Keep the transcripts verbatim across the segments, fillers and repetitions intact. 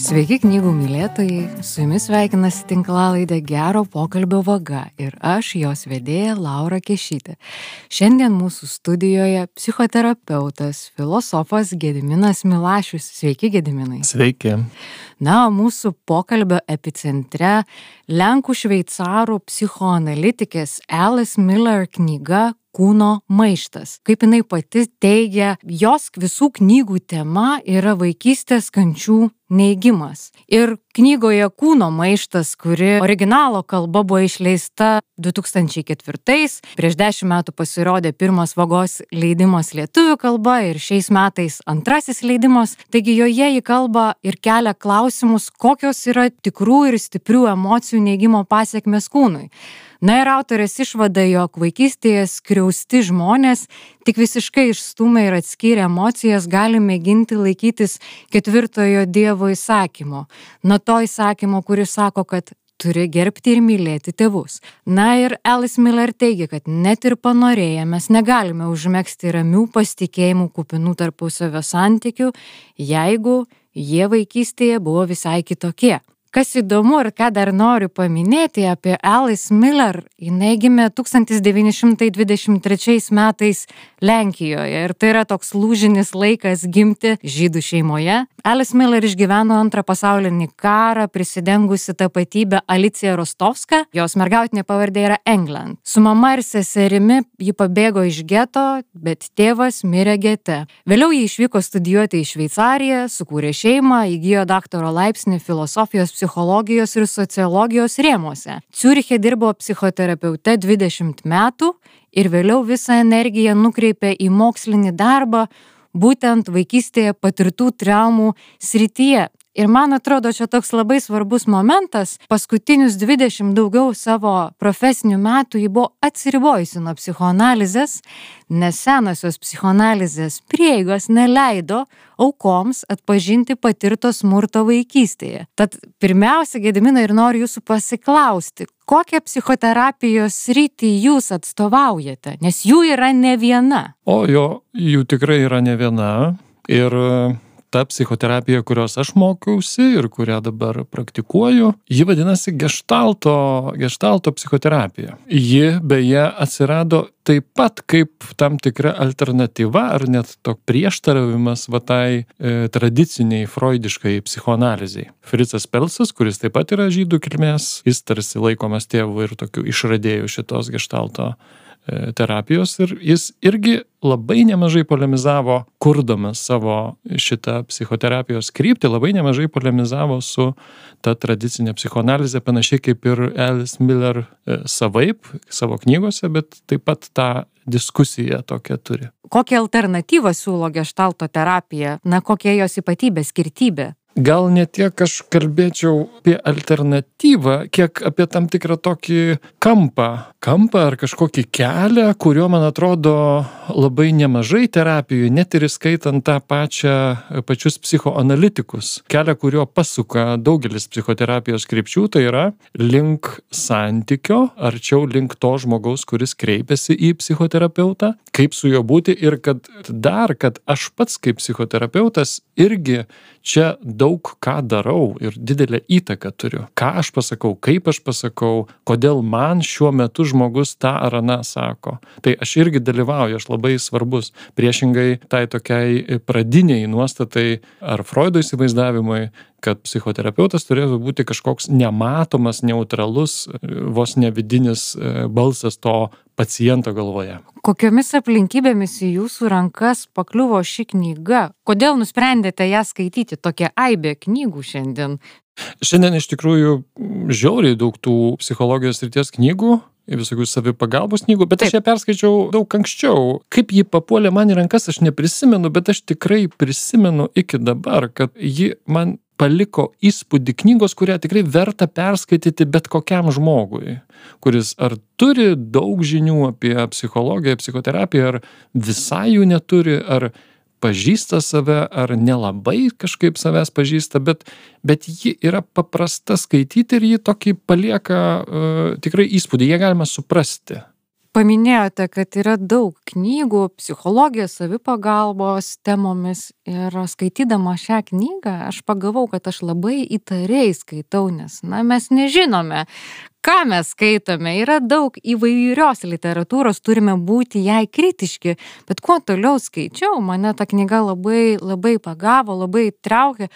Sveiki knygų mylėtojai, su jumis sveikinasi tinklalaidė Gero pokalbio vaga ir aš, jos vedėja Laura Kešytė. Šiandien mūsų studijoje psichoterapeutas, filosofas Gediminas Milašius. Sveiki, Gediminai. Sveiki. Na, o mūsų pokalbio epicentre Lenkų šveicarų psichoanalitikės Alice Miller knyga Kūno maištas. Kaip jinai pati teigia, jos visų knygų tema yra vaikystės kančių neigimas. Ir knygoje Kūno maištas, kuri originalo kalba buvo išleista du tūkstančiai ketvirtais, prieš dešimt metų pasirodė pirmas Vagos leidimas lietuvių kalba ir šiais metais antrasis leidimas, taigi joje ji kalba ir kelia klausimus, kokios yra tikrų ir stiprių emocijų neigimo pasekmės kūnui. Na ir autorės išvada, jog vaikystėje skriausti žmonės tik visiškai išstūmę ir atskyrę emocijas gali mėginti laikytis ketvirtojo Dievo įsakymo. Nuo to įsakymo, kuris sako, kad turi gerbti ir mylėti tėvus. Na ir Alice Miller teigia, kad net ir panorėję mes negalime užmegzti ramių pasitikėjimų kupinų tarpusavio santykių, jeigu jie vaikystėje buvo visai kitokie. Kas įdomu ir ką dar noriu paminėti apie Alice Miller, jinai gimė tūkstantis devyni šimtai dvidešimt trečiais metais Lenkijoje ir tai yra toks lūžinis laikas gimti žydų šeimoje. Alice Miller išgyveno antrą pasaulinį karą, prisidengusi tapatybę Alicija Rostovska, jos mergautinė pavardė yra England. Su mama ir seserimi ji pabėgo iš geto, bet tėvas mirė gete. Vėliau ji išvyko studijuoti į Šveicariją, sukūrė šeimą, įgijo daktaro laipsnį filosofijos, psichologijos ir sociologijos rėmuose. Ciuriche dirbo psichoterapeute dvidešimt metų ir vėliau visą energiją nukreipė į mokslinį darbą, būtent vaikystėje patirtų traumų srityje. Ir man atrodo, čia toks labai svarbus momentas, paskutinius dvidešimt daugiau savo profesinių metų ji buvo atsiribojusi nuo psichoanalizės, nes senosios psichoanalizės prieigos neleido aukoms atpažinti patirto smurto vaikystėje. Tad pirmiausia, Gediminai, ir noriu jūsų pasiklausti, kokią psichoterapijos sritį jūs atstovaujate, nes jų yra ne viena. O jo, jų tikrai yra ne viena ir ta psichoterapija, kurios aš mokiausi ir kurią dabar praktikuoju, ji vadinasi geštalto, geštalto psichoterapija. Ji beje atsirado taip pat kaip tam tikra alternatyva ar net toks prieštaravimas va tai e, tradiciniai freudiškai psichoanalizei. Fritzas Pelsas, kuris taip pat yra žydų kilmės, jis tarsi laikomas tėvu ir tokiu išradėjų šitos geštalto terapijos ir jis irgi labai nemažai polemizavo, kurdamas savo šitą psichoterapijos kryptį, labai nemažai polemizavo su ta tradicinė psichoanalizė, panašiai kaip ir Alice Miller savaip, savo knygose, bet taip pat tą diskusiją tokią turi. Kokią alternatyvą siūlo geštalto terapija? Na, kokia jos ypatybė, skirtybė? Gal ne tiek aš kalbėčiau apie alternatyvą, kiek apie tam tikrą tokį kampą, kampą ar kažkokį kelią, kurio, man atrodo, labai nemažai terapijų, net ir įskaitant tą pačią, pačius psichoanalitikus. Kelią, kurio pasuka daugelis psichoterapijos krypčių, tai yra link santykio, arčiau link to žmogaus, kuris kreipiasi į psichoterapeutą, kaip su juo būti ir kad dar, kad aš pats kaip psichoterapeutas irgi čia daug ką darau ir didelę įtaką turiu. Ką aš pasakau, kaip aš pasakau, kodėl man šiuo metu žmogus tą ar aną sako. Tai aš irgi dalyvauju, aš labai svarbus. Priešingai tai tokiai pradiniai nuostatai ar Freudo įsivaizdavimui, kad psichoterapeutas turėtų būti kažkoks nematomas, neutralus, vos nevidinis balsas to paciento galvoje. Kokiomis aplinkybėmis į jūsų rankas pakliuvo ši knyga? Kodėl nusprendėte ją skaityti? Tokia aibė knygų šiandien. Šiandien iš tikrųjų žiauriai daug tų psichologijos srities knygų, visokių savipagalbos knygų, bet Taip. Aš ją perskaičiau daug anksčiau. Kaip ji papuolė man į rankas, aš neprisimenu, bet aš tikrai prisimenu iki dabar, kad ji man paliko įspūdį knygos, kurią tikrai verta perskaityti bet kokiam žmogui, kuris ar turi daug žinių apie psichologiją, psichoterapiją, ar visai jų neturi, ar pažįsta save, ar nelabai kažkaip savęs pažįsta, bet, bet ji yra paprasta skaityti ir ji tokį palieka uh, tikrai įspūdį, ją galima suprasti. paminėjote, kad yra daug knygų psichologijos, savipagalbos temomis ir skaitydama šią knygą aš pagavau, kad aš labai įtariai skaitau, nes na, mes nežinome, ką mes skaitome. Yra daug įvairios literatūros, turime būti jai kritiški, bet kuo toliau skaičiau, mane ta knyga labai, labai pagavo, labai traukė.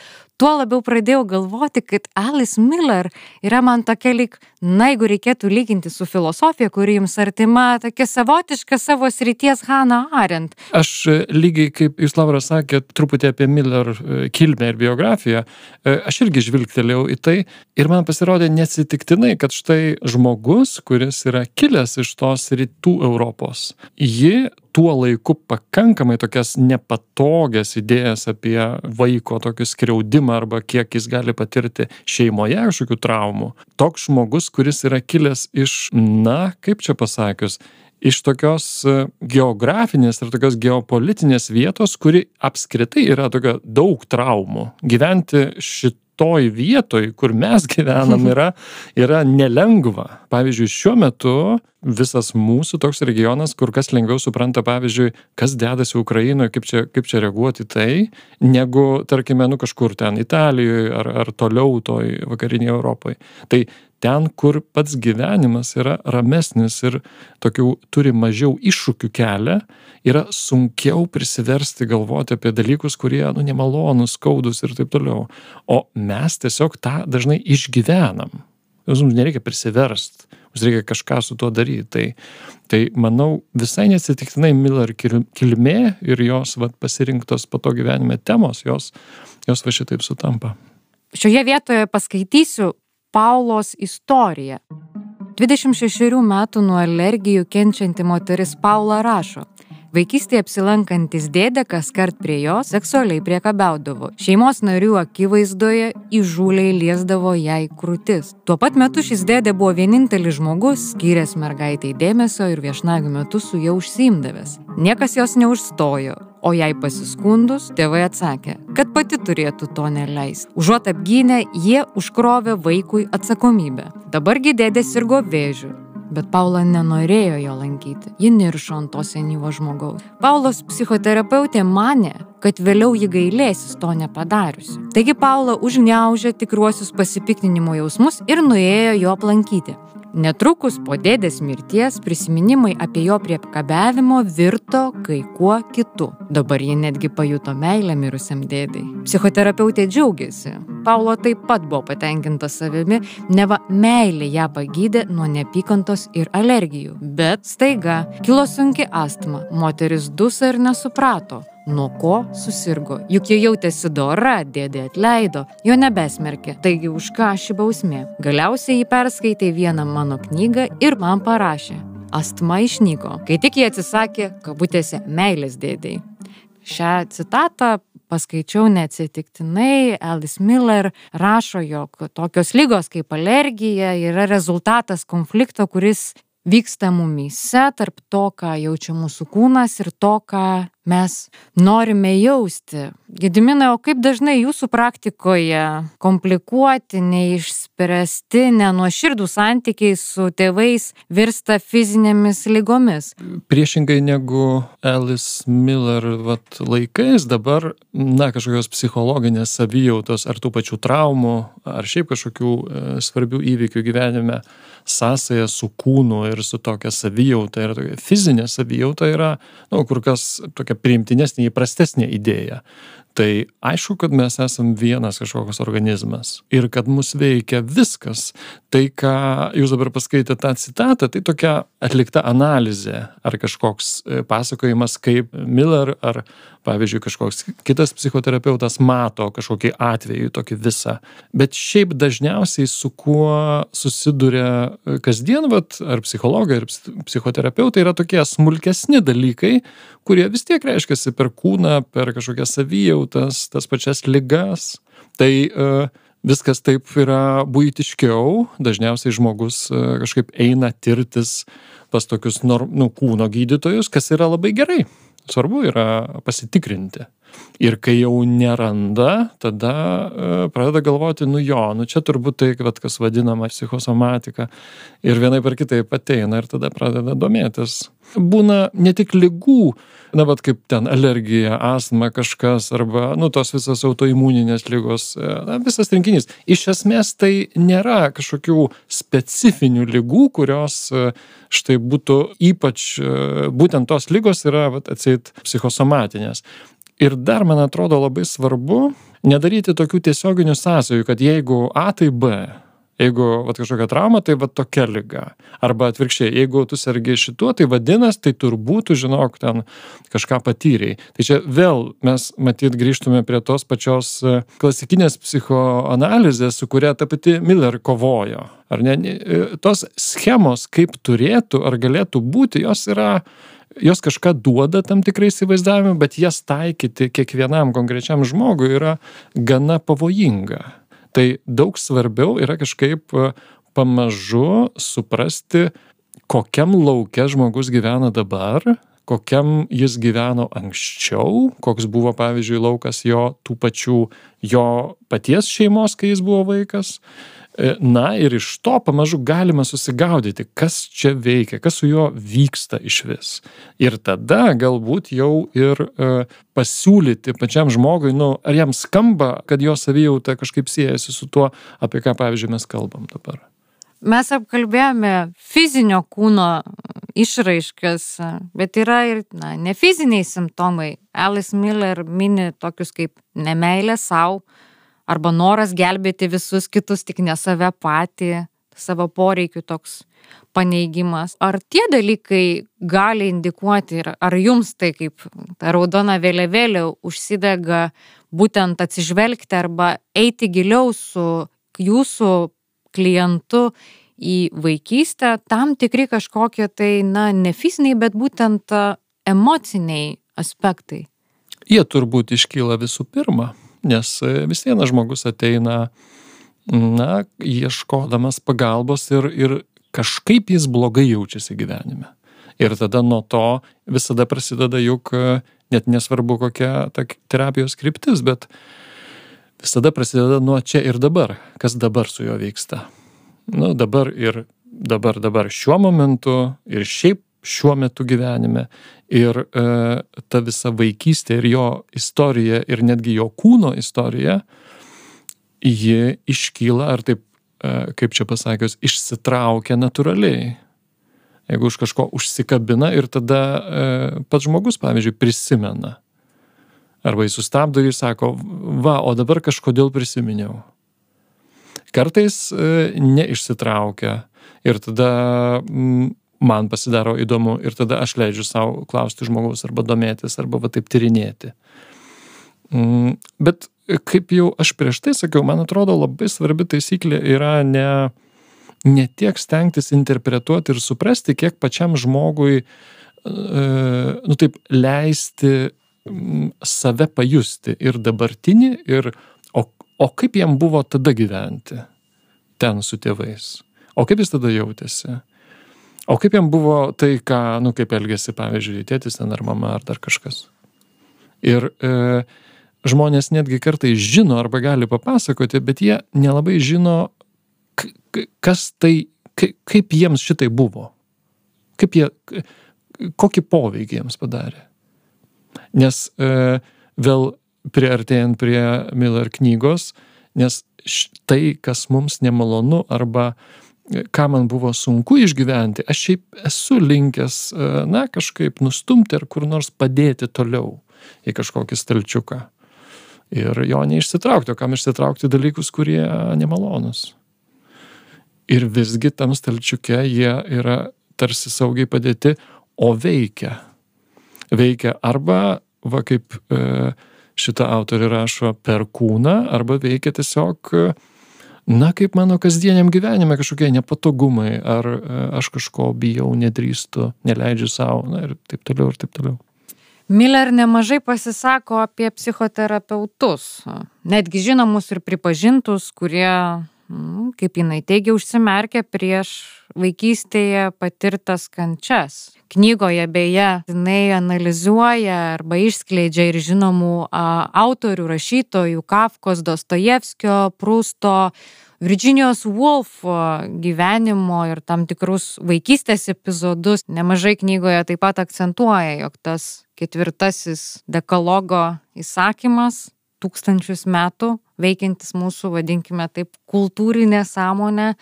Tuo labiau pradėjau galvoti, kad Alice Miller yra man tokia lyg, na, jeigu reikėtų lyginti su filosofija, kuri jums artima, tokia savotiška savo srities Hannah Arendt. Aš lygiai, kaip jūs, Laura, sakėt, truputį apie Miller kilmę ir biografiją, aš irgi žvilgtelėjau į tai ir man pasirodė neatsitiktinai, kad štai žmogus, kuris yra kilęs iš tos rytų Europos, ji tuo laiku pakankamai tokias nepatogias idėjas apie vaiko tokį skriaudimą arba kiek jis gali patirti šeimoje kažkokių traumų. Toks žmogus, kuris yra kilęs iš, na, kaip čia pasakius, iš tokios geografinės ir tokios geopolitinės vietos, kuri apskritai yra tokia daug traumų. Gyventi šitą toj vietoj, kur mes gyvenam, yra, yra nelengva. Pavyzdžiui, šiuo metu visas mūsų toks regionas, kur kas lengviau supranta, pavyzdžiui, kas dedasi Ukrainoje, kaip čia, kaip čia reaguoti tai, negu, tarkime, nu kažkur ten Italijoje ar, ar toliau toj vakarinėje Europoje. Tai ten, kur pats gyvenimas yra ramesnis ir tokių turi mažiau iššūkių kelią, yra sunkiau prisiversti galvoti apie dalykus, kurie, nu, nemalonus, skaudus ir taip toliau. O mes tiesiog tą dažnai išgyvenam. Mums nereikia prisiversti, mums reikia kažką su tuo daryti. Tai, tai manau, visai neatsitiktinai Miller kilmė ir jos vat, pasirinktos po to gyvenime temos, jos, jos va šitaip sutampa. Šioje vietoje paskaitysiu Paulos istoriją. dvidešimt šešerių metų nuo alergijų kenčianti moteris Paula rašo. Vaikystėje apsilankantis dėdė kaskart prie jo seksualiai priekabiaudavo. Šeimos narių akivaizdoje įžūliai liesdavo jai krūtis. Tuo pat metu šis dėdė buvo vienintelis žmogus, skyręs mergaitai dėmesio ir viešnagių metu su ja užsiimdavęs. Niekas jos neužstojo, o jai pasiskundus, tėvai atsakė, kad pati turėtų to neleisti. Užuot apgynę, jie užkrovė vaikui atsakomybę. Dabargi dėdė sirgo vėžiu. Bet Paula nenorėjo jo lankyti. Ji niršo ant to senyvo žmogaus. Paulos psichoterapeutė manė, kad vėliau ji gailėsis to nepadariusi. Taigi Paula užgniaužė tikruosius pasipiktinimo jausmus ir nuėjo jo aplankyti. Netrukus po dėdės mirties prisiminimai apie jo priekabiavimo virto kai kuo kitu. Dabar ji netgi pajuto meilę mirusiam dėdei. Psichoterapeutė džiaugiasi. Paulo taip pat buvo patenkinta savimi, neva meilė ją pagydė nuo neapykantos ir alergijų. Bet staiga kilo sunki astma. Moteris duso ir nesuprato, nuo ko susirgo. Juk jie jautėsi dora, dėdė atleido, jo nebesmerkė. Taigi už ką ši bausmė? Galiausiai jį perskaitė vieną mano knygą ir man parašė. Astma išnyko, kai tik jie atsisakė, kabutėse, meilės dėdei. Šią citatą paskaičiau neatsitiktinai. Alice Miller rašo, jog tokios ligos kaip alergija yra rezultatas konflikto, kuris vyksta mumyse tarp to, ką jaučia mūsų kūnas ir to, ką mes norime jausti. Gediminai, o kaip dažnai jūsų praktikoje komplikuoti, neišspręsti, nenuoširdų santykiai su tėvais virsta fizinėmis ligomis? Priešingai negu Alice Miller vat, laikais, dabar, na, kažkokios psichologinės savijautos ar tų pačių traumų, ar šiaip kažkokių e, svarbių įvykių gyvenime sąsaja su kūnu ir su tokia savijauta ir tokia fizinė savijauta yra, nu, kur kas tokia priimtinesnė, įprastesnė idėja. Tai aišku, kad mes esam vienas kažkokios organizmas ir kad mus veikia viskas. Tai, ką jūs dabar paskaitėte tą citatą, tai tokia atlikta analizė ar kažkoks pasakojimas, kaip Miller ar, pavyzdžiui, kažkoks kitas psichoterapeutas mato kažkokį atvejį, tokį visą. Bet šiaip dažniausiai su kuo susiduria kasdien, vat, ar psichologai, ar psichoterapeutai yra tokie smulkesni dalykai, kurie vis tiek reiškiasi per kūną, per kažkokias savijautas, tas pačias ligas. Tai uh, viskas taip yra buitiškiau, dažniausiai žmogus uh, kažkaip eina tirtis pas tokius norm, nu, kūno gydytojus, kas yra labai gerai. Svarbu yra pasitikrinti. Ir kai jau neranda, tada e, pradeda galvoti, nu jo, nu čia turbūt tai, vat, kas vadinama psichosomatika. Ir vienaip ar kitaip ateina ir tada pradeda domėtis. Būna ne tik ligų, na, vat kaip ten alergija, astma kažkas, arba, nu, tos visas autoimuninės ligos, na, visas rinkinys. Iš esmės tai nėra kažkokių specifinių ligų, kurios štai būtų ypač, būtent tos ligos yra, vat, atseit, psichosomatinės. Ir dar, man atrodo, labai svarbu nedaryti tokių tiesioginių sąsajų, kad jeigu A, tai B. Jeigu vat, kažkokia trauma, tai vat, tokia liga. Arba atvirkščiai, jeigu tu sergi šituo, tai vadinas, tai turbūt, tu žinok, ten kažką patyrei. Tai čia vėl mes matyt grįžtume prie tos pačios klasikinės psichoanalizės, su kuria ta pati Miller kovojo. Ar ne? Tos schemos, kaip turėtų ar galėtų būti, jos yra jos kažką duoda tam tikrai įsivaizdavimui, bet jas taikyti kiekvienam konkrečiam žmogui yra gana pavojinga. Tai daug svarbiau yra kažkaip pamažu suprasti, kokiam lauke žmogus gyvena dabar, kokiam jis gyveno anksčiau, koks buvo, pavyzdžiui, laukas jo tų pačių jo paties šeimos, kai jis buvo vaikas. Na ir iš to pamažu galima susigaudyti, kas čia veikia, kas su juo vyksta iš vis. Ir tada galbūt jau ir e, pasiūlyti pačiam žmogui, nu, ar jam skamba, kad jo savijauta kažkaip siejasi su tuo, apie ką, pavyzdžiui, mes kalbam dabar. Mes apkalbėjome fizinio kūno išraiškas, bet yra ir na, nefiziniai simptomai. Alice Miller mini tokius kaip nemeilė sau, arba noras gelbėti visus kitus, tik ne save patį, savo poreikių toks paneigimas. Ar tie dalykai gali indikuoti, ar jums tai kaip ta raudona vėliavėlė užsidega būtent atsižvelgti arba eiti giliau su jūsų klientu į vaikystę, tam tikri kažkokie tai, na, ne fiziniai, bet būtent emociniai aspektai? Jie turbūt iškyla visų pirma. Nes vis vienas žmogus ateina, na, ieškodamas pagalbos ir, ir kažkaip jis blogai jaučiasi gyvenime. Ir tada nuo to visada prasideda juk net nesvarbu kokia ta terapijos kryptis, bet visada prasideda nuo čia ir dabar, kas dabar su juo vyksta. Nu, dabar ir dabar, dabar šiuo momentu ir šiaip šiuo metu gyvenime. Ir e, ta visa vaikystė ir jo istorija ir netgi jo kūno istorija, ji iškyla, ar taip, e, kaip čia pasakius, išsitraukia natūraliai. Jeigu už kažko užsikabina ir tada e, pats žmogus, pavyzdžiui, prisimena. Arba jis sustabdo ir sako, va, o dabar kažkodėl prisiminiau. Kartais e, neišsitraukia ir tada m, man pasidaro įdomu ir tada aš leidžiu savo klausti žmogaus arba domėtis, arba va taip tyrinėti. Bet kaip jau aš prieš tai sakiau, man atrodo labai svarbi taisyklė yra ne, ne tiek stengtis interpretuoti ir suprasti, kiek pačiam žmogui, nu taip, leisti save pajusti ir dabartinį, ir, o, o kaip jam buvo tada gyventi ten su tėvais, o kaip jis tada jautėsi. O kaip jam buvo tai, ką, nu, kaip elgėsi, pavyzdžiui, tėtis ten ar mama ar dar kažkas. Ir e, žmonės netgi kartais žino arba gali papasakoti, bet jie nelabai žino, k- kas tai, k- kaip jiems šitai buvo. Kaip jie, kokį poveikį jiems padarė. Nes e, vėl priartėjant prie Miller knygos, nes tai, kas mums nemalonu arba ką man buvo sunku išgyventi, aš šiaip esu linkęs, na, kažkaip nustumti ar kur nors padėti toliau į kažkokį stalčiuką. Ir jo neišsitraukti, o kam išsitraukti dalykus, kurie nemalonus. Ir visgi tam stalčiuke jie yra tarsi saugiai padėti, o veikia. Veikia arba, va kaip šitą autorį rašo, per kūną, arba veikia tiesiog, na, kaip mano kasdieniam gyvenime kažkokie nepatogumai, ar aš kažko bijau, nedrįstu, neleidžiu savo, na ir taip toliau, ir taip toliau. Miller nemažai pasisako apie psichoterapeutus, netgi žinomus ir pripažintus, kurie, kaip jinai teigia, užsimerkia prieš vaikystėje patirtas kančias. Knygoje beje, jinai analizuoja arba išskleidžia ir žinomų a, autorių, rašytojų, Kafkos, Dostojevskio, Prusto, Virginijos Woolf gyvenimo ir tam tikrus vaikystės epizodus. Nemažai knygoje taip pat akcentuoja, jog tas ketvirtasis dekalogo įsakymas, tūkstančius metų veikiantis mūsų, vadinkime taip, kultūrinė sąmonė,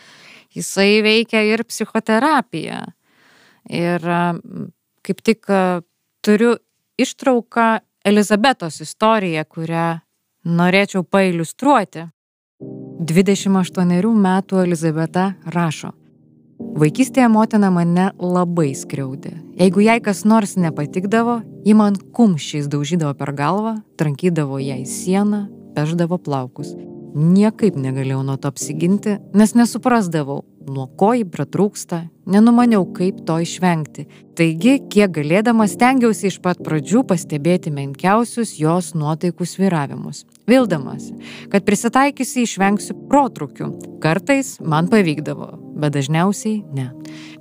jisai veikia ir psichoterapiją. Ir kaip tik turiu ištrauką Elizabetos istoriją, kurią norėčiau pailiustruoti. dvidešimt aštuonerių metų Elizabeta rašo: Vaikystėje motina mane labai skriaudė. Jeigu jai kas nors nepatikdavo, ji man kumščiais daužydavo per galvą, trankydavo ją į sieną, pešdavo plaukus. Niekaip negalėjau nuo to apsiginti, nes nesuprasdavau, nuo ko ji pratrūksta, nenumaniau, kaip to išvengti. Taigi, kiek galėdamas, stengiausi iš pat pradžių pastebėti menkiausius jos nuotaikų svyravimus. Vildamasi, kad prisitaikysi išvengsiu protrukių. Kartais man pavykdavo, bet dažniausiai ne.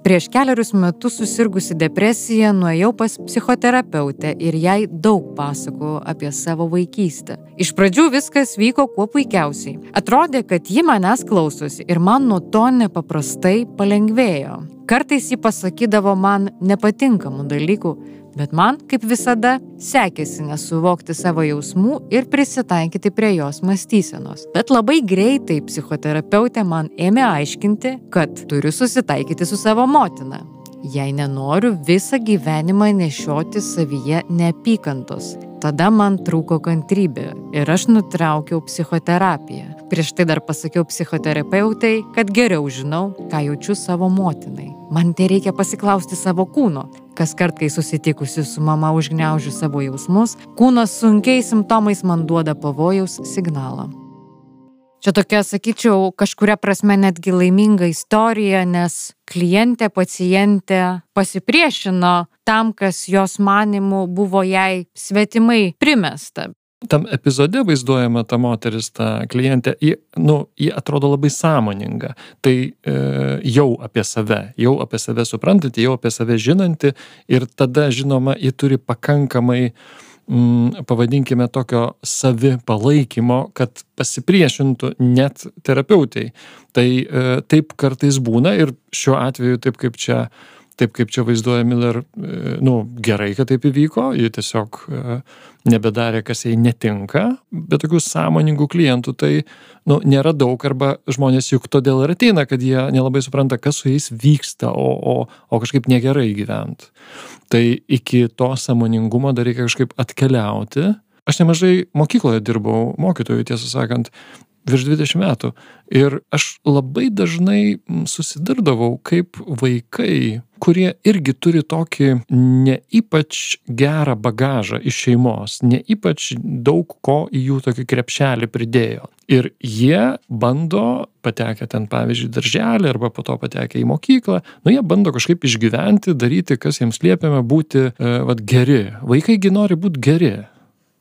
Prieš keliarius metus susirgusi depresija nuėjau pas psichoterapeutę ir jai daug pasakojau apie savo vaikystę. Iš pradžių viskas vyko kuo puikiausiai. Atrodė, kad ji manęs klausosi ir man nuo to nepaprastai palengvėjo. Kartais ji pasakydavo man nepatinkamų dalykų, bet man, kaip visada, sekėsi nesuvokti savo jausmų ir prisitaikyti prie jos mąstysenos. Bet labai greitai psichoterapeutė man ėmė aiškinti, kad turiu susitaikyti su savo motina. Jei nenoriu visą gyvenimą nešioti savyje neapykantos. Tada man trūko kantrybė ir aš nutraukiau psichoterapiją. Prieš tai dar pasakiau psichoterapeutai, kad geriau žinau, ką jaučiu savo motinai. Man tai reikia pasiklausti savo kūno. Kas kart, kai susitikusi su mama užgniaužiu savo jausmus, kūnas sunkiais simptomais man duoda pavojaus signalą. Čia tokia, sakyčiau, kažkuria prasme netgi laiminga istorija, nes klientė, pacientė pasipriešino tam, kas jos manimų buvo jai svetimai primesta. Tam epizode vaizduojama ta moteris, ta klientė, ji, nu, ji atrodo labai sąmoninga. Tai e, jau apie save, jau apie save suprantanti, jau apie save žinanti ir tada, žinoma, ji turi pakankamai mm, pavadinkime tokio savi palaikymo, kad pasipriešintų net terapeutai. Tai e, taip kartais būna ir šiuo atveju taip kaip čia Taip kaip čia vaizduoja Miller, nu, gerai, kad taip įvyko, ji tiesiog nebedarė, kas jai netinka, bet tokių sąmoningų klientų tai, nu, nėra daug, arba žmonės juk todėl ir ateina, kad jie nelabai supranta, kas su jais vyksta, o, o, o kažkaip negerai gyvent. Tai iki to sąmoningumo dar reikia kažkaip atkeliauti. Aš nemažai mokykloje dirbau mokytojų, tiesą sakant, virš dvidešimt metų. Ir aš labai dažnai susidurdavau, kaip vaikai, kurie irgi turi tokį ne ypač gerą bagažą iš šeimos, ne ypač daug ko į jų tokį krepšelį pridėjo. Ir jie bando, patekę ten, pavyzdžiui, darželį arba po to patekę į mokyklą, nu jie bando kažkaip išgyventi, daryti, kas jiems liepiama būti e, vat, geri. Vaikaigi nori būti geri.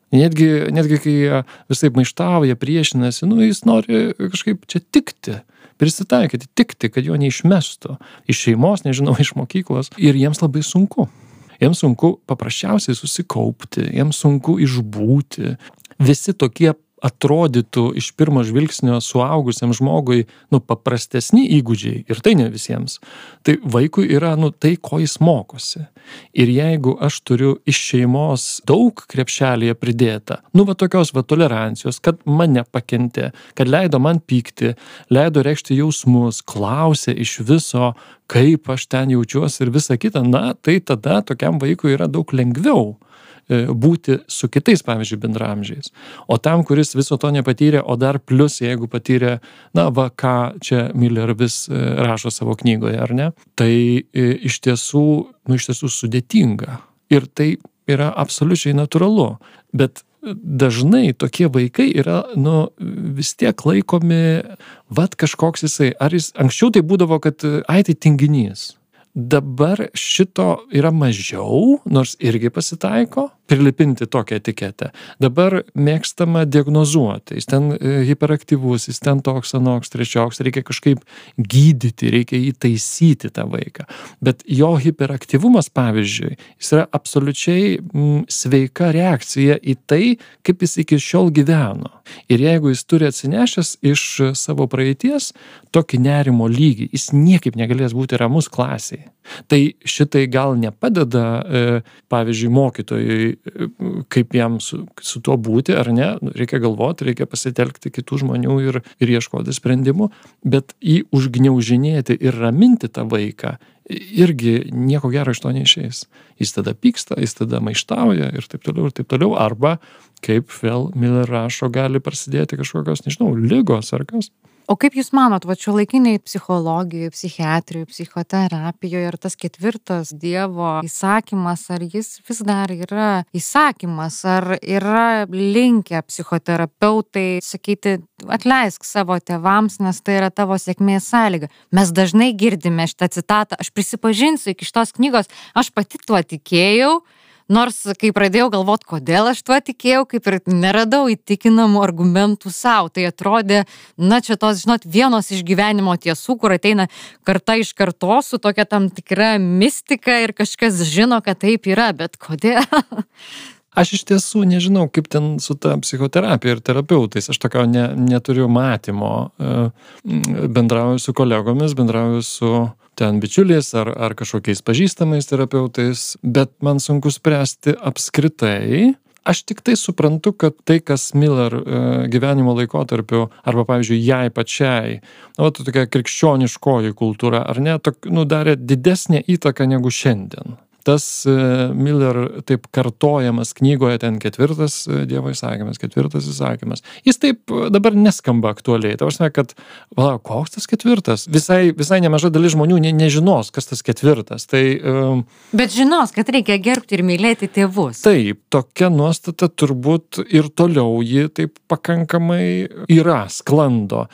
Netgi, netgi kai jie visaip maištauja, priešinasi, nu jis nori kažkaip čia tikti, prisitaikyti, tikti, kad jo neišmestų iš šeimos, nežinau, iš mokyklos. Ir jiems labai sunku. Jiems sunku paprasčiausiai susikaupti, jiems sunku išbūti. Visi tokie atrodytų iš pirmo žvilgsnio suaugusiam žmogui, nu, paprastesni įgūdžiai, ir tai ne visiems. Tai vaikui yra, nu, tai, ko jis mokosi. Ir jeigu aš turiu iš šeimos daug krepšelėje pridėta, nu, va tokios va tolerancijos, kad mane pakentė, kad leido man pykti, leido reikšti jausmus, klausė iš viso, kaip aš ten jaučiuosi ir visa kita, na, tai tada tokiam vaikui yra daug lengviau būti su kitais, pavyzdžiui, bendramžiais. O tam, kuris viso to nepatyrė, o dar plus, jeigu patyrė, na, va, ką čia Miller vis rašo savo knygoje, ar ne, tai iš tiesų, nu, iš tiesų sudėtinga. Ir tai yra absoliučiai natūralu. Bet dažnai tokie vaikai yra, nu, vis tiek laikomi, vat kažkoks jisai, ar jis, anksčiau tai būdavo, kad, ai, tai tinginys. Dabar šito yra mažiau, nors irgi pasitaiko, prilipinti tokią etiketę. Dabar mėgstama diagnozuoti, jis ten hiperaktyvus, jis ten toks, anoks, trečioks, reikia kažkaip gydyti, reikia jį taisyti tą vaiką. Bet jo hiperaktyvumas, pavyzdžiui, jis yra absoliučiai mm, sveika reakcija į tai, kaip jis iki šiol gyveno. Ir jeigu jis turi atsinešęs iš savo praeities tokį nerimo lygį, jis niekaip negalės būti ramus klasėje. Tai šitai gal nepadeda, e, pavyzdžiui, mokytojui, e, kaip jam su, su tuo būti, ar ne, reikia galvoti, reikia pasitelkti kitų žmonių ir, ir ieškoti sprendimų, bet jį užgniaužinėti ir raminti tą vaiką, irgi nieko gero iš to neišeis. Jis tada pyksta, jis tada maištauja ir taip toliau, ir taip toliau, arba, kaip vėl Miller rašo, gali prasidėti kažkokios, nežinau, ligos ar kas. O kaip Jūs manot, va šiuolaikiniai psichologijoje, psichiatrijoje, psichoterapijoje ir tas ketvirtas Dievo įsakymas, ar jis vis dar yra įsakymas, ar yra linkę psichoterapeutai sakyti, atleisk savo tėvams, nes tai yra tavo sėkmės sąlyga. Mes dažnai girdime šitą citatą, aš prisipažinsiu iki šitos knygos, aš pati tuo tikėjau, nors, kai pradėjau galvoti, kodėl aš tuo tikėjau, kaip ir neradau įtikinamų argumentų savo. Tai atrodė, na, čia tos, žinot, vienos iš gyvenimo tiesų, kur ateina karta iš kartos su tokia tam tikra mistika ir kažkas žino, kad taip yra, bet kodėl? Aš iš tiesų nežinau, kaip ten su ta psichoterapija ir terapeutais. Aš tokio ne, neturiu matymo. Bendrauju su kolegomis, bendrauju su ten bičiuliais ar, ar kažkokiais pažįstamais terapeutais, bet man sunku spręsti apskritai. Aš tik tai suprantu, kad tai, kas Miller gyvenimo laikotarpiu, arba, pavyzdžiui, jai pačiai, na, va, tokia krikščioniškoji kultūra, ar ne, tok, nu, darė didesnę įtaką negu šiandien. Tas Miller taip kartojamas knygoje, ten ketvirtas Dievo įsakymas, ketvirtas įsakymas. Jis taip dabar neskamba aktualiai. Tai aš kad, va, koks tas ketvirtas? Visai, visai nemaža dalis žmonių ne, nežinos, kas tas ketvirtas. Tai, um, Bet žinos, kad reikia gerbti ir mylėti tėvus. Taip, tokia nuostata turbūt ir toliau ji taip pakankamai yra, sklando.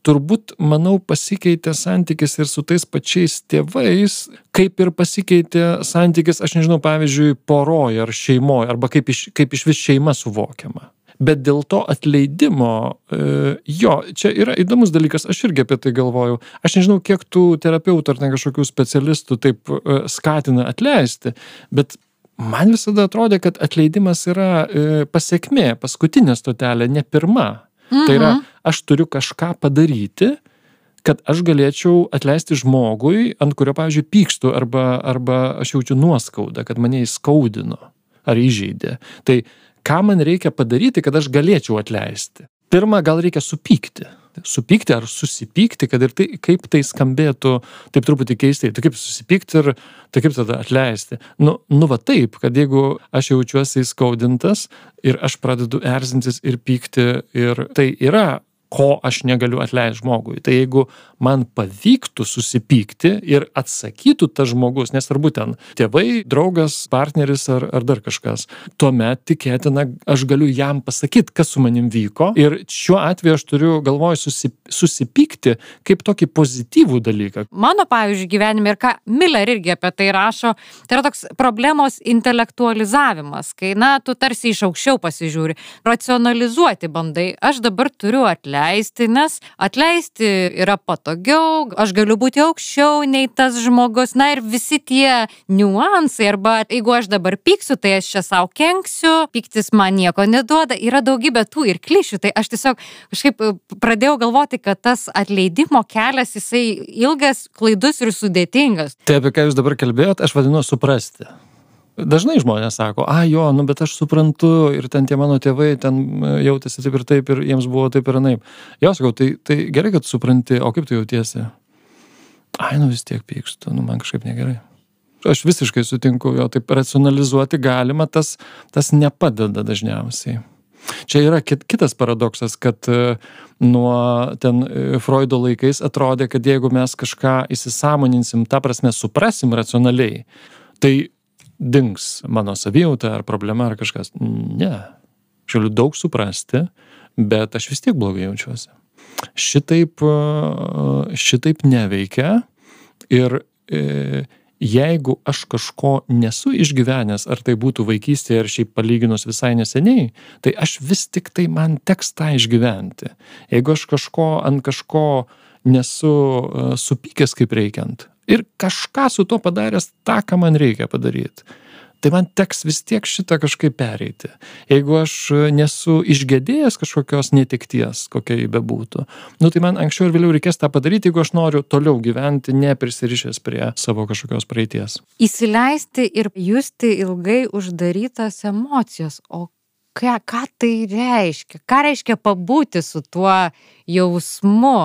Turbūt, manau, pasikeitė santykis ir su tais pačiais tėvais, kaip ir pasikeitė santykis, aš nežinau, pavyzdžiui, poroje ar šeimoje, arba kaip iš, kaip iš vis šeima suvokiama. Bet dėl to atleidimo, e, jo, čia yra įdomus dalykas, aš irgi apie tai galvoju. Aš nežinau, kiek tų terapeutų ar ne kažkokių specialistų taip e, skatina atleisti, bet man visada atrodė, kad atleidimas yra e, pasekmė, paskutinė stotelė, ne pirma. Mhm. Tai yra, aš turiu kažką padaryti, kad aš galėčiau atleisti žmogui, ant kurio, pavyzdžiui, pykstu, arba, arba aš jaučiu nuoskaudą, kad mane įskaudino ar įžeidė. Tai ką man reikia padaryti, kad aš galėčiau atleisti? Pirma, gal reikia supykti. Supykti ar susipykti, kad ir tai, kaip tai skambėtų taip truputį keistai. Tai kaip susipykti ir tai kaip tada atleisti. Nu, nu va taip, kad jeigu aš jaučiuosi įskaudintas ir aš pradedu erzintis ir pykti ir tai yra, ko aš negaliu atleisti žmogui. Tai jeigu man pavyktų susipykti ir atsakytų tas žmogus, nes ar būtent tėvai, draugas, partneris ar, ar dar kažkas, tuomet tikėtina, aš galiu jam pasakyti, kas su manim vyko. Ir šiuo atveju aš turiu galvoj susip, susipykti kaip tokį pozityvų dalyką. Mano, pavyzdžiui, gyvenime ir ką Miller irgi apie tai rašo, tai yra toks problemos intelektualizavimas, kai, na, tu tarsi iš aukščiau pasižiūri, racionalizuoti bandai. Aš dabar turiu atleisti. Atleisti, nes atleisti yra patogiau, aš galiu būti aukščiau nei tas žmogus, na ir visi tie niuansai, arba jeigu aš dabar pyksiu, tai aš čia savo kenksiu, pyktis man nieko neduoda, yra daugybė tų ir klišių, tai aš tiesiog kažkaip pradėjau galvoti, kad tas atleidimo kelias, jisai ilgas, klaidus ir sudėtingas. Tai apie ką jūs dabar kalbėjot, aš vadinu suprasti. Dažnai žmonės sako, a jo, nu bet aš suprantu ir ten tie mano tėvai ten jautėsi taip ir taip ir jiems buvo taip ir anaip. Jo, sakau, tai, tai gerai, kad supranti, o kaip tu jautiesi? Ai, nu vis tiek pykstu, nu man kažkaip negerai. Aš visiškai sutinku, jo, taip racionalizuoti galima, tas, tas nepadeda dažniausiai. Čia yra kit, kitas paradoksas, kad nuo ten Freudo laikais atrodė, kad jeigu mes kažką įsisąmoninsim, ta prasme suprasim racionaliai, tai dings mano savijauta ar problema ar kažkas. Ne. Aš galiu daug suprasti, bet aš vis tiek blogai jaučiuosi. Šitaip, šitaip neveikia ir e, jeigu aš kažko nesu išgyvenęs, ar tai būtų vaikystėje, ar šiaip palyginus visai neseniai, tai aš vis tik tai man teks tą išgyventi. Jeigu aš kažko ant kažko nesu uh, supykęs kaip reikiant ir kažką su to padaręs tą, ką man reikia padaryti, tai man teks vis tiek šitą kažkaip pereiti. Jeigu aš nesu išgedėjęs kažkokios netekties, kokia jį bebūtų, nu tai man anksčiau ir vėliau reikės tą padaryti, jeigu aš noriu toliau gyventi, neprisirišęs prie savo kažkokios praeities. Įsileisti ir justi ilgai uždarytas emocijos. O ką, ką tai reiškia? Ką reiškia pabūti su tuo jausmu?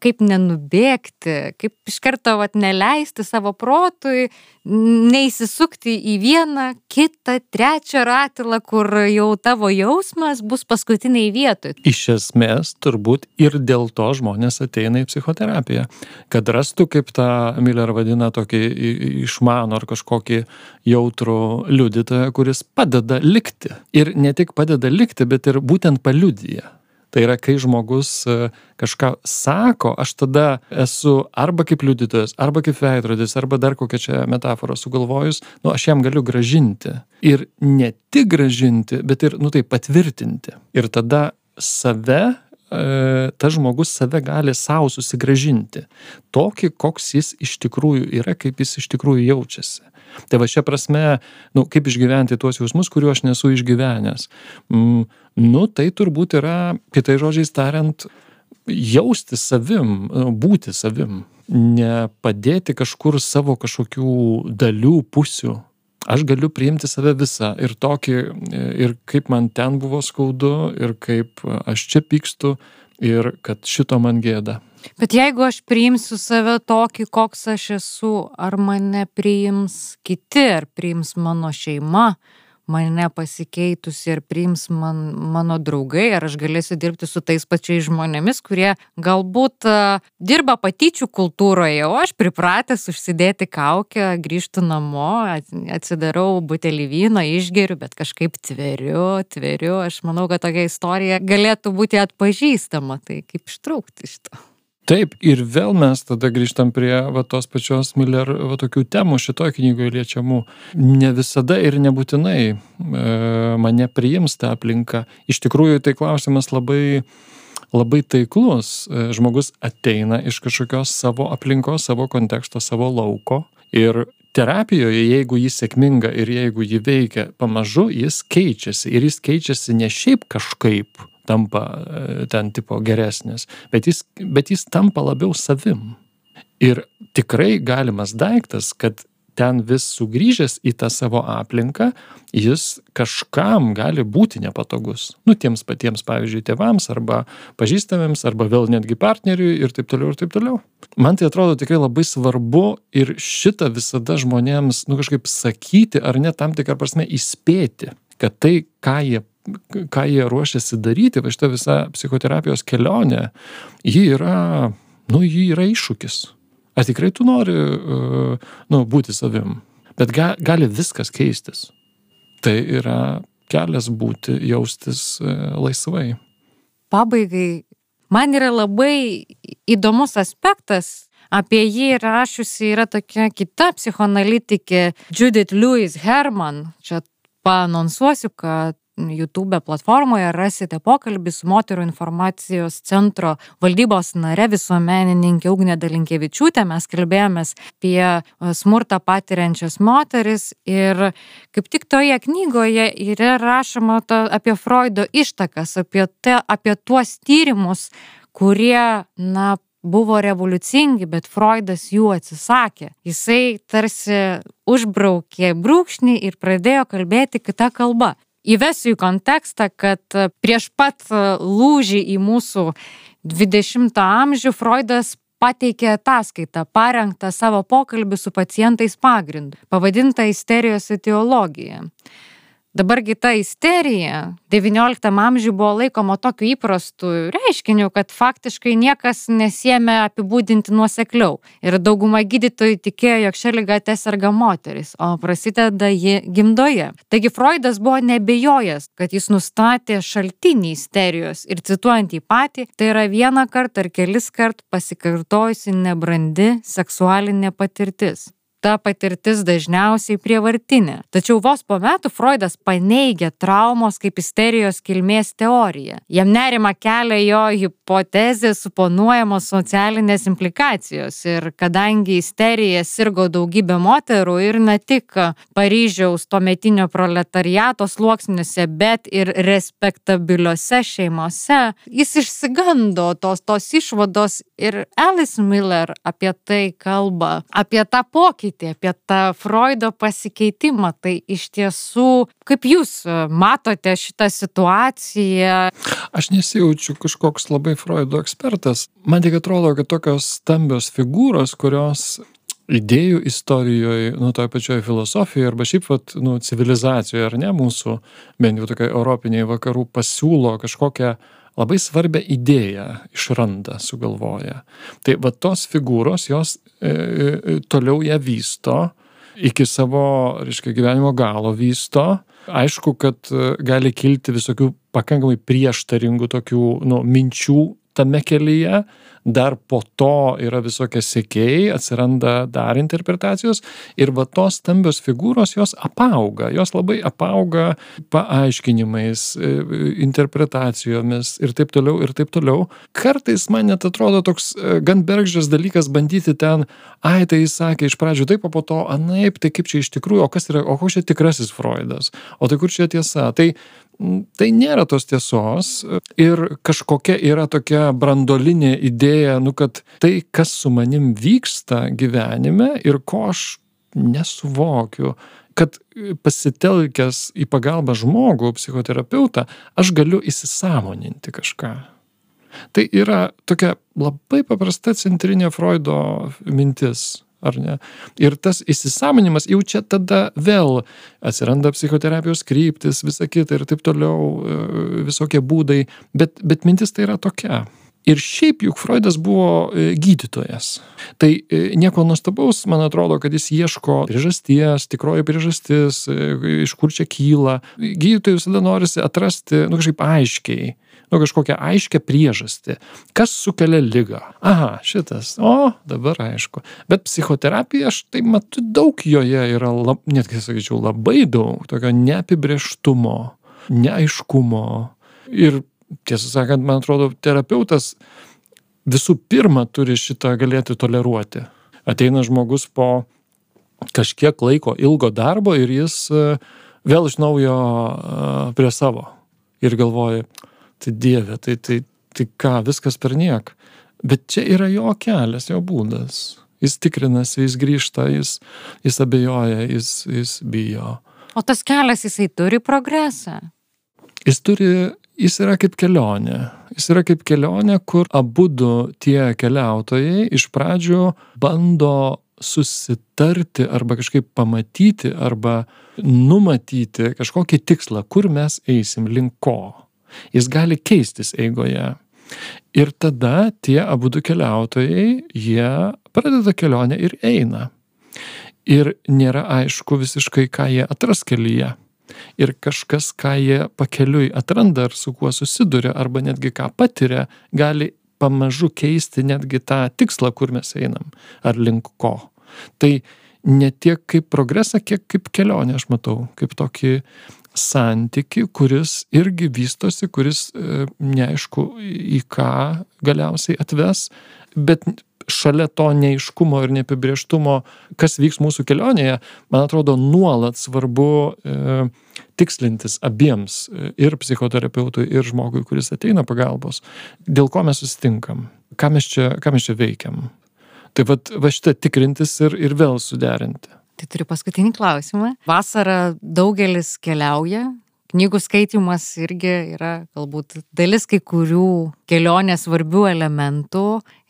Kaip nenubėgti, kaip iš karto vat, neleisti savo protui, neįsisukti į vieną, kitą, trečią ratilą, kur jau tavo jausmas bus paskutiniai vietoj. Iš esmės, turbūt ir dėl to žmonės ateina į psichoterapiją, kad rastų, kaip tą Miller vadina, tokį išmanų ar kažkokį jautrų liudytoją, kuris padeda likti. Ir ne tik padeda likti, bet ir būtent paliudija. Tai yra, kai žmogus kažką sako, aš tada esu arba kaip liudytojas, arba kaip veidrodis, arba dar kokią čia metaforą sugalvojus, nu aš jam galiu grąžinti. Ir ne tik grąžinti, bet ir, nu tai patvirtinti. Ir tada save, e, tas žmogus save gali savo susigrąžinti. Tokį, koks jis iš tikrųjų yra, kaip jis iš tikrųjų jaučiasi. Tai va šia prasme, nu, kaip išgyventi tuos jausmus, kuriuo aš nesu išgyvenęs. Mm, nu, tai turbūt yra, kitais žodžiais tariant, jausti savim, būti savim. Nepadėti kažkur savo kažkokių dalių, pusių. Aš galiu priimti save visą ir tokį, ir kaip man ten buvo skaudu, ir kaip aš čia pykstu, ir kad šito man gėda. Bet jeigu aš priimsiu save tokį, koks aš esu, ar mane priims kiti, ar priims mano šeima, mane pasikeitusi, ir priims man, mano draugai, ar aš galėsiu dirbti su tais pačiais žmonėmis, kurie galbūt uh, dirba patyčių kultūroje, o aš pripratęs užsidėti kaukę, grįžtu namo, atsidarau butelį vyno, išgeriu, bet kažkaip tveriu, tveriu. Aš manau, kad tokia istorija galėtų būti atpažįstama, tai kaip ištraukti iš to. Taip, ir vėl mes tada grįžtam prie va, tos pačios Miller va, tokių temų šitoje knygoje liečiamų. Ne visada ir nebūtinai e, mane priims tą aplinką. Iš tikrųjų, tai klausimas labai, labai taiklus. E, žmogus ateina iš kažkokios savo aplinkos, savo konteksto, savo lauko. Ir terapijoje, jeigu jis sėkminga ir jeigu jį veikia pamažu, jis keičiasi. Ir jis keičiasi ne šiaip kažkaip tampa ten tipo geresnis, bet jis, bet jis tampa labiau savim. Ir tikrai galimas daiktas, kad ten vis sugrįžęs į tą savo aplinką, jis kažkam gali būti nepatogus. Nu, tiems patiems, pavyzdžiui, tėvams, arba pažįstamiems, arba vėl netgi partneriui ir taip toliau ir taip toliau. Man tai atrodo tikrai labai svarbu ir šitą visada žmonėms, nu, kažkaip sakyti, ar net tam tikrą prasme įspėti, kad tai, ką jie ką jie ruošiasi daryti, va šita visa psichoterapijos kelionė, ji yra, nu, ji yra iššūkis. Ar tikrai tu nori, uh, nu, būti savim? Bet ga, gali viskas keistis. Tai yra kelias būti, jaustis uh, laisvai. Pabaigai, man yra labai įdomus aspektas. Apie jį rašusi yra tokia kita psichoanalitikė Judith Lewis Herman. Čia paanonsuosiu, kad YouTube platformoje rasite pokalbį su Moterų informacijos centro valdybos nare visuomenininkė Ugnė Dalinkevičiūtė. Mes kalbėjomės apie smurtą patiriančias moteris ir kaip tik toje knygoje yra rašoma to, apie Freudo ištakas, apie, te, apie tuos tyrimus, kurie, na, buvo revoliucingi, bet Freudas jų atsisakė. Jisai tarsi užbraukė brūkšnį ir pradėjo kalbėti kitą kalbą. Įvesiu į kontekstą, kad prieš pat lūžį į mūsų dvidešimtą amžių Freudas pateikė ataskaitą, parengtą savo pokalbį su pacientais pagrindu, pavadintą isterijos etiologija. Dabargi ta isterija devynioliktam amžiui buvo laikoma tokiu įprastu reiškiniu, kad faktiškai niekas nesiėmė apibūdinti nuosekliau. Ir dauguma gydytojų tikėjo, jog šią ligą teserga moteris, o prasideda ji gimdoje. Taigi Freudas buvo nebejojęs, kad jis nustatė šaltinį isterijos ir cituojant jį patį, tai yra vieną kartą ar kelis kart pasikartojusi nebrandi seksualinė patirtis. ta patirtis dažniausiai prievartinė. Tačiau vos po metų Freudas paneigė traumos kaip isterijos kilmės teoriją. Jam nerima kelia jo hipotezė suponuojamos socialinės implikacijos ir kadangi isterija sirgo daugybė moterų ir ne tik Paryžiaus tuometinio proletariato sluoksniuose, bet ir respektabiliuose šeimose, jis išsigando tos, tos išvados ir Alice Miller apie tai kalba, apie tą pokytį, apie tą Freudo pasikeitimą. Tai iš tiesų, kaip jūs matote šitą situaciją? Aš nesijaučiu kažkoks labai Freudo ekspertas. Man tik atrodo, kad tokios stambios figūros, kurios idėjų istorijoje, nu, toje pačioje filosofijoje arba šiaip, vat, nu, civilizacijoje, ar ne, mūsų, bent jau tokia europiniai vakarų pasiūlo kažkokią labai svarbią idėją išranda, sugalvoja. Tai va tos figūros, jos e, toliau ją vysto, iki savo, reiškia, gyvenimo galo vysto. Aišku, kad gali kilti visokių pakankamai prieštaringų tokių, nu, minčių tame kelyje, dar po to yra visokie sekėjai, atsiranda dar interpretacijos ir va tos stambios figūros, jos apauga, jos labai apauga paaiškinimais, interpretacijomis ir taip toliau, ir taip toliau. Kartais man net atrodo toks gan bergždžias dalykas bandyti ten, ai, tai jis sakė iš pradžių taip, o po to anaip, tai kaip čia iš tikrųjų, o kas yra, o koks čia tikrasis Freudas, o tai kur čia tiesa. Tai Tai nėra tos tiesos ir kažkokia yra tokia brandolinė idėja, nu, kad tai, kas su manim vyksta gyvenime ir ko aš nesuvokiu, kad pasitelkęs į pagalbą žmogų, psichoterapeutą, aš galiu įsisąmoninti kažką. Tai yra tokia labai paprasta centrinė Freudo mintis. Ar ne? Ir tas įsisąmonimas jau čia tada vėl atsiranda psichoterapijos kryptis, visa kita ir taip toliau, visokie būdai, bet, bet mintis tai yra tokia. Ir šiaip juk Freudas buvo gydytojas. Tai nieko nuostabaus, man atrodo, kad jis ieško priežasties, tikroji priežastis, iš kur čia kyla. Gydytojai visada norisi atrasti, nu, kažkaip aiškiai, nu, kažkokią aiškę priežastį. Kas sukelia ligą? Aha, šitas. O, dabar aišku. Bet psichoterapija, aš tai matau, daug joje yra, lab, netgi sakyčiau, labai daug tokio neapibrėžtumo, neaiškumo. Ir tiesą sakant, man atrodo, terapeutas visų pirma turi šitą galėti toleruoti. Ateina žmogus po kažkiek laiko ilgo darbo ir jis vėl iš naujo prie savo. Ir galvoja, tai Dieve, tai, tai, tai ką, viskas per niek. Bet čia yra jo kelias, jo būdas. Jis tikrinasi, jis grįžta, jis, jis abejoja, jis, jis bijo. O tas kelias, jisai turi progresą? Jis turi, jis yra kaip kelionė. Jis yra kaip kelionė, kur abudu tie keliautojai iš pradžių bando susitarti arba kažkaip pamatyti arba numatyti kažkokį tikslą, kur mes eisim, link ko. Jis gali keistis eigoje. Ir tada tie abudu keliautojai, jie pradeda kelionę ir eina. Ir nėra aišku visiškai, ką jie atras kelyje. Ir kažkas, ką jie pakeliui atranda ar su kuo susiduria, arba netgi ką patiria, gali pamažu keisti netgi tą tikslą, kur mes einam, ar link ko. Tai ne tiek kaip progresą, kiek kaip kelionę aš matau, kaip tokį santyki, kuris irgi vystosi, kuris e, neaišku į ką galiausiai atves, bet šalia to neaiškumo ir neapibrėžtumo, kas vyks mūsų kelionėje, man atrodo, nuolat svarbu e, tikslintis abiems, e, ir psichoterapeutui, ir žmogui, kuris ateina pagalbos, dėl ko mes susitinkam, ką mes čia, ką mes čia veikiam. Tai vat, va šitą tikrintis ir, ir vėl suderinti. Tai turiu paskutinį klausimą. Vasarą daugelis keliauja, knygų skaitymas irgi yra galbūt dalis kai kurių kelionės svarbių elementų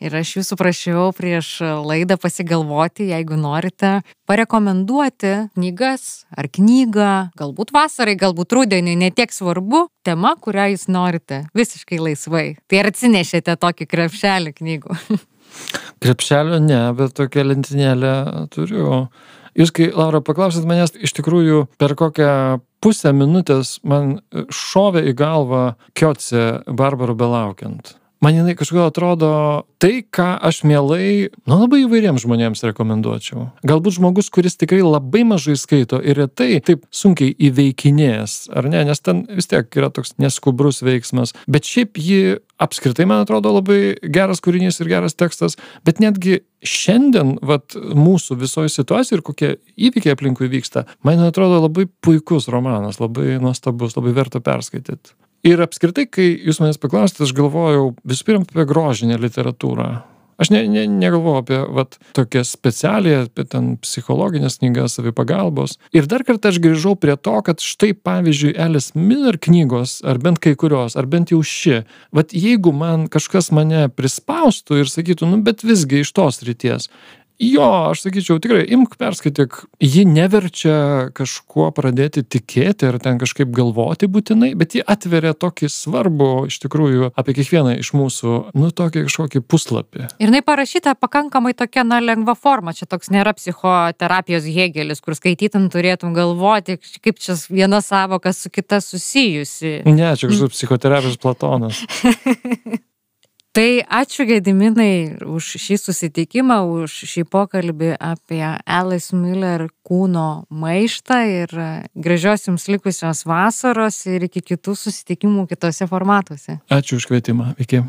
ir aš jūsų prašiau prieš laidą pasigalvoti, jeigu norite, parekomenduoti knygas ar knygą, galbūt vasarai, galbūt rudeniui, ne tiek svarbu, tema, kurią jūs norite, visiškai laisvai. Tai ar atsinešėte tokį krepšelį knygų? Krepšelio ne, bet tokią lentynėlę turiu. Jūs, kai, Laura, paklausėt manęs, iš tikrųjų per kokią pusę minutės man šovė į galvą Kiotse Barbarų belaukiant. man jinai kažkodėl atrodo tai, ką aš mielai, nu labai įvairiems žmonėms rekomenduočiau. Galbūt žmogus, kuris tikrai labai mažai skaito ir retai taip sunkiai įveikinės, ar ne, nes ten vis tiek yra toks neskubrus veiksmas, bet šiaip ji apskritai, man atrodo, labai geras kūrinys ir geras tekstas, bet netgi šiandien, vat, mūsų visoje situacijoje ir kokie įvykiai aplinkui vyksta, man atrodo labai puikus romanas, labai nuostabus, labai verta perskaityti. Ir apskritai, kai jūs manęs paklausėte, aš galvojau visų pirma apie grožinę literatūrą. Aš ne, ne, negalvojau apie vat, tokią specialią, apie ten psichologinės knygas, savipagalbos. Ir dar kartą aš grįžau prie to, kad štai pavyzdžiui Alice Miller knygos, ar bent kai kurios, ar bent jau ši, vat jeigu man kažkas mane prispaustų ir sakytų, nu bet visgi iš tos ryties, jo, aš sakyčiau, tikrai, imk perskaityk, ji neverčia kažkuo pradėti tikėti ar ten kažkaip galvoti būtinai, bet ji atveria tokį svarbų, iš tikrųjų, apie kiekvieną iš mūsų, nu, tokį kažkokį puslapį. Ir jinai parašyta pakankamai tokia, na, lengva forma, čia toks nėra psichoterapijos Hėgelis, kur skaitytum turėtum galvoti, kaip čia viena savoka su kita susijusi. Ne, čia kažkoks psichoterapijos Platonas. Tai ačiū Gediminai už šį susitikimą, už šį pokalbį apie Alice Miller kūno maištą ir gražios jums likusios vasaros ir iki kitų susitikimų kitose formatuose. Ačiū už kvietimą. Iki.